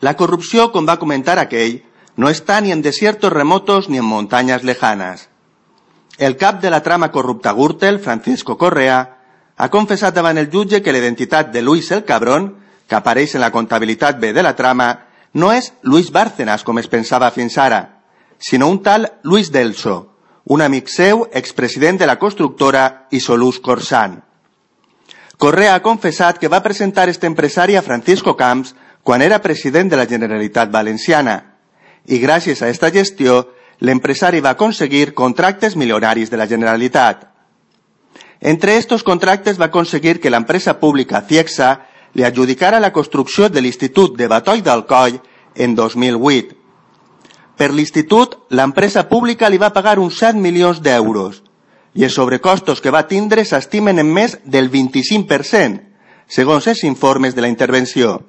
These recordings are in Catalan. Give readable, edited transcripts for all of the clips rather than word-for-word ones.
La corrupció, com va comentar aquell, no està ni en desiertos remotos ni en montañas lejanas. El cap de la trama corrupta Gürtel, Francisco Correa, ha confessat davant el jutge que l'identitat de Luis el Cabrón, que apareix en la comptabilitat B de la trama, no és Luis Bárcenas, com es pensava fins ara, sinó un tal Luis Delso, un amic seu, expresident de la constructora Isolús Corsan. Correa ha confessat que va presentar este empresari a Francisco Camps quan era president de la Generalitat Valenciana, i gràcies a esta gestió, l'empresari va aconseguir contractes milionaris de la Generalitat. Entre estos contractes va aconseguir que l'empresa pública Ciegsa li adjudicara la construcció de l'Institut de Batoi d'Alcoi en 2008. Per l'institut, l'empresa pública li va pagar uns 7 milions d'euros i els sobrecostos que va tindre s'estimen en més del 25%, segons els informes de la intervenció.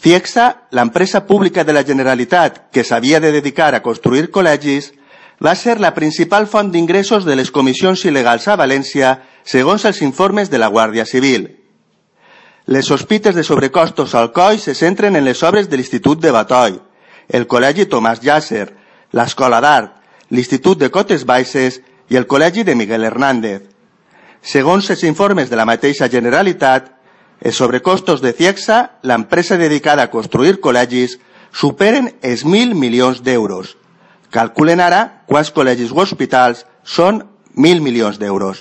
Ciegsa, l'empresa pública de la Generalitat que s'havia de dedicar a construir col·legis, va ser la principal font d'ingressos de les comissions il·legals a València, segons els informes de la Guàrdia Civil. Les sospites de sobrecostos al Alcoi se centren en les obres de l'Institut de Batoi, el Col·legi Tomàs Llàcer, l'Escola d'Art, l'Institut de Cotes Baixes i el Col·legi de Miguel Hernández. Segons els informes de la mateixa Generalitat, els sobrecostos de Ciegsa, l'empresa dedicada a construir col·legis, superen els 1.000 milions d'euros. Calculen ara quants col·legis o hospitals són 1.000 milions d'euros.